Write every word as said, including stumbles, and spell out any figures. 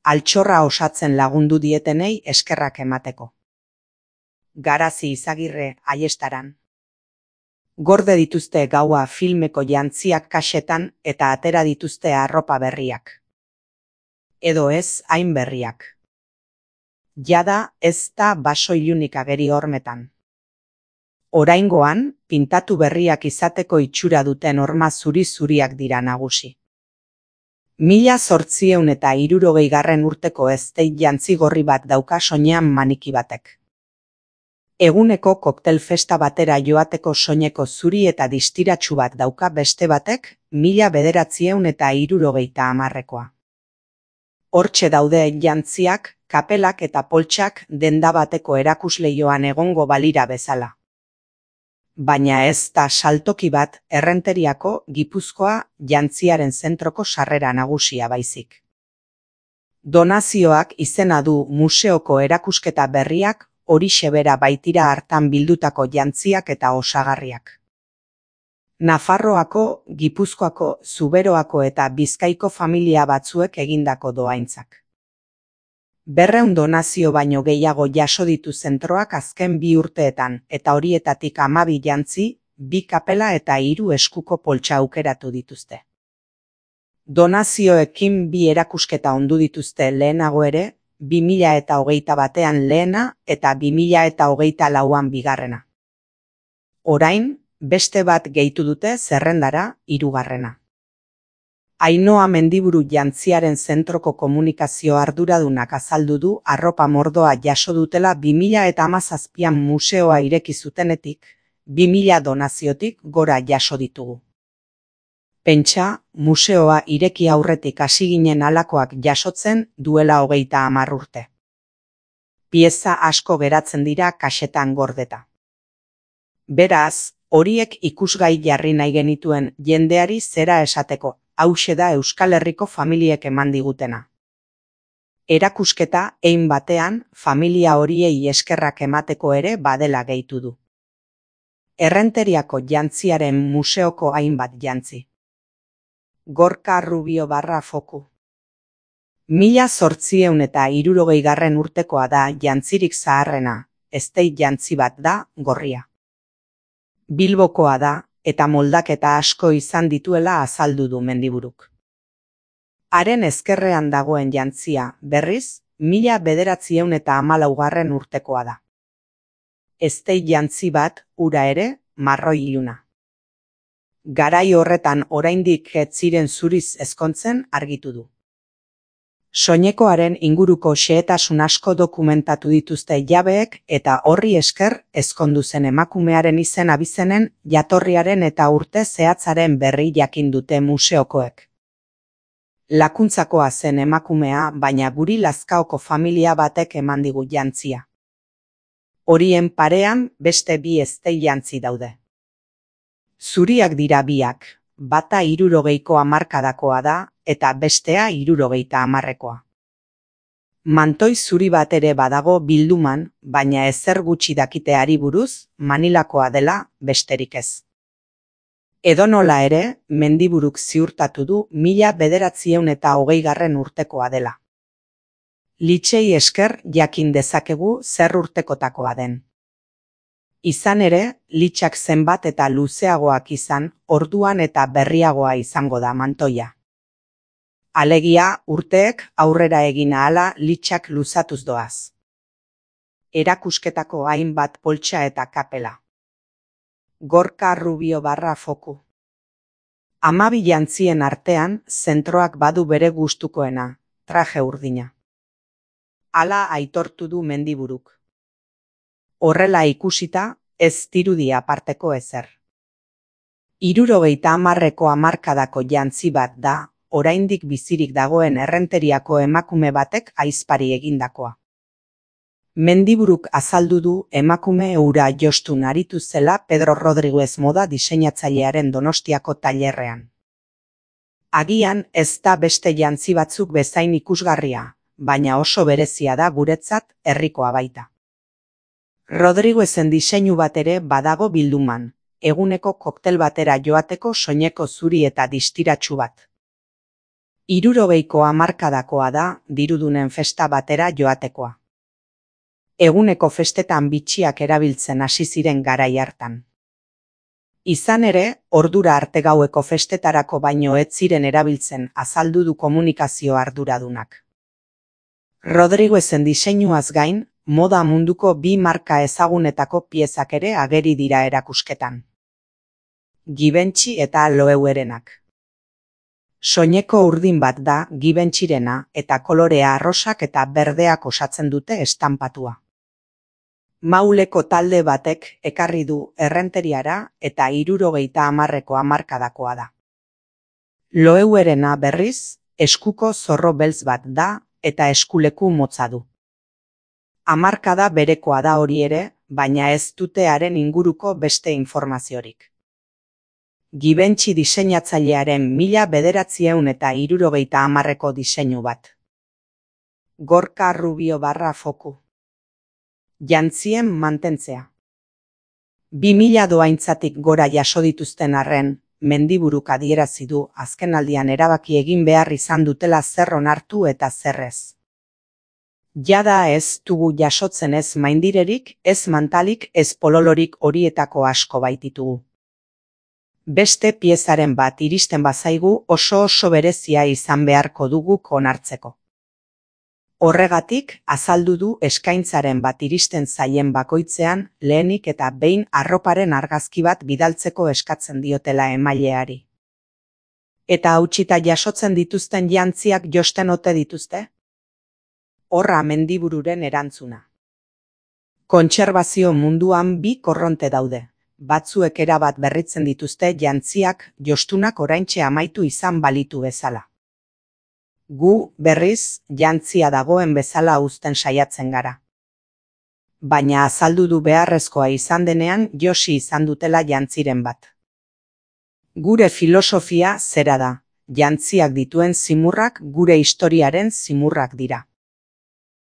altxorra osatzen lagundu dietenei eskerrak emateko. Garazi Izagirre Aiestaran. Gorde dituzte gaua filmeko jantziak kaxetan eta atera dituzte arropa berriak. Edo ez hain berriak. Jada ez da baso ilunik ageri hormetan. Oraingoan, pintatu berriak izateko itxura duten horma zuri-zuriak dira nagusi. Mila zortzieun eta hirurogeigarren urteko eztei jantzi gorri bat dauka soinean maniki batek. Eguneko koktel festa batera joateko soineko zuri eta distiratsu bat dauka beste batek, mila bederatzieun eta hirurogeita hamarrekoa. Hortxe daude jantziak, kapelak eta poltsak denda bateko erakusleioan egongo balira bezala. Baina ez da saltoki bat Errenteriako Gipuzkoa jantziaren zentroko sarrera nagusia baizik. Donazioak izena du museoko erakusketa berriak horixe bera baitira hartan bildutako jantziak eta osagarriak. Nafarroako, Gipuzkoako, Zuberoako eta Bizkaiko familia batzuek egindako dohaintzak. Berreun donazio baino gehiago jaso ditu zentroak azken bi urteetan, eta horietatik hamabi jantzi, bi kapela eta hiru eskuko poltsa aukeratu dituzte. Donazioekin bi erakusketa ondu dituzte lehenago ere, bi mila eta hogeita batean lehena eta bi mila eta hogeita lauan bigarrena. Orain, beste bat gehitu dute zerrendara, hirugarrena. Ainhoa Mendiburu jantziaren zentroko komunikazio arduradunak azaldu du arropa mordoa jaso dutela bi mila eta hamazazpian museoa ireki zutenetik, bi mila donaziotik gora jaso ditugu. Pentsa, museoa ireki aurretik hasi ginen halakoak jasotzen duela hogeita hamar urte. Pieza asko geratzen dira kaxetan gordeta. Beraz, horiek ikusgai jarri nahi genituen jendeari zera esateko, hauxe da Euskal Herriko familiek eman digutena. Erakusketa hein batean familia horiei eskerrak emateko ere badela gehitu du. Errenteriako jantziaren museoko hainbat jantzi. Gorka Rubio barra foku. Mila zortzieun eta hirurogeigarren urtekoa da jantzirik zaharrena, eztei jantzi bat da gorria. Bilbokoa da, eta moldaketa asko izan dituela azaldu du Mendiburuk. Haren ezkerrean dagoen jantzia, berriz, mila bederatzieun eta hamalaugarren urtekoa da. Eztei jantzi bat, ura ere, marroi iluna. Garai horretan oraindik ez ziren zuriz ezkontzen argitu du. Soinekoaren inguruko xehetasun asko dokumentatu dituzte jabeek eta horri esker ezkondu zen emakumearen izen abizenen jatorriaren eta urte zehatzaren berri jakin dute museokoek. Lakuntzakoa zen emakumea, baina guri Lazkaoko familia batek eman digu jantzia. Horien parean beste bi eztei jantzi daude. Zuriak dira biak, bata hirurogeiko hamarkadakoa da, eta bestea hirurogeita hamarrekoa. Mantoi zuri bat ere badago bilduman, baina ezer gutxi dakiteari buruz, Manilakoa dela besterik ez. Edonola ere, Mendiburuk ziurtatu du mila bederatzieun eta hogeigarren urtekoa dela. Litxei esker jakin dezakegu zer urtekotakoa den. Izan ere, litxak zenbat eta luzeagoak izan, orduan eta berriagoa izango da mantoia. Alegia, urteek aurrera egin ahala litxak luzatuz doaz. Erakusketako hainbat poltsa eta kapela. Gorka Rubio barra foku. Hamabi jantzien artean, zentroak badu bere gustukoena, traje urdina. Hala aitortu du Mendiburuk. Horrela ikusita, ez dirudi aparteko ezer. Hirurogeita hamarreko hamarkadako jantzi bat da, oraindik bizirik dagoen Errenteriako emakume batek ahizpari egindakoa. Mendiburuk azaldu du emakume hura jostun aritu zela Pedro Rodriguez moda diseinatzailearen Donostiako tailerrean. Agian ez da beste jantzi batzuk bezain ikusgarria, baina oso berezia da guretzat herrikoa baita. Rodriguezen diseinu bat ere badago bilduman, eguneko koktel batera joateko soineko zuri eta distiratsu bat. Hirurogeiko hamarkadakoa da dirudunen festa batera joatekoa. Eguneko festetan bitxiak erabiltzen hasi ziren garai hartan. Izan ere, ordura arte gaueko festetarako baino ez ziren erabiltzen azaldu du komunikazio arduradunak. Rodriguezen diseinuaz gain, moda munduko bi marka ezagunetako piezak ere ageri dira erakusketan. Givenchy eta Loeurenak. Soineko urdin bat da Givenchyrena eta kolorea arrosak eta berdeak osatzen dute estanpatua. Mauleko talde batek ekarri du errenteriara eta hirurogeita hamarreko hamarkadakoa da. Loeuerena berriz, eskuko zorro beltz bat da eta eskuleku motza du. Hamarkada berekoa da hori ere, baina ez dute haren inguruko beste informaziorik. Givenchy diseinatzailearen mila bederatziehun eta hirurogeita hamarreko diseinu bat. Gorka Rubio barra foku. Jantzien mantentzea. Bi mila doaintzatik gora jaso dituzten arren, mendiburuk adierazi du azkenaldian erabaki egin behar izan dutela zer onartu eta zer ez. Jada ez dugu jasotzen ez maindirerik, ez mantalik, ez pololorik horietako asko baititugu. Beste piezaren bat iristen bazaigu oso oso berezia izan beharko dugu onartzeko. Horregatik, azaldu du eskaintzaren bat iristen zaien bakoitzean lehenik eta behin arroparen argazki bat bidaltzeko eskatzen diotela emaileari. Eta hautsita jasotzen dituzten jantziak josten ote dituzte? Horra mendibururen erantzuna. Kontserbazio munduan bi korronte daude. Batzuek erabat berritzen dituzte jantziak jostunak oraintxe amaitu izan balitu bezala. Gu, berriz, jantzia dagoen bezala uzten saiatzen gara. Baina azaldu du beharrezkoa izan denean josi izan dutela jantziren bat. Gure filosofia zera da, jantziak dituen zimurrak gure historiaren zimurrak dira.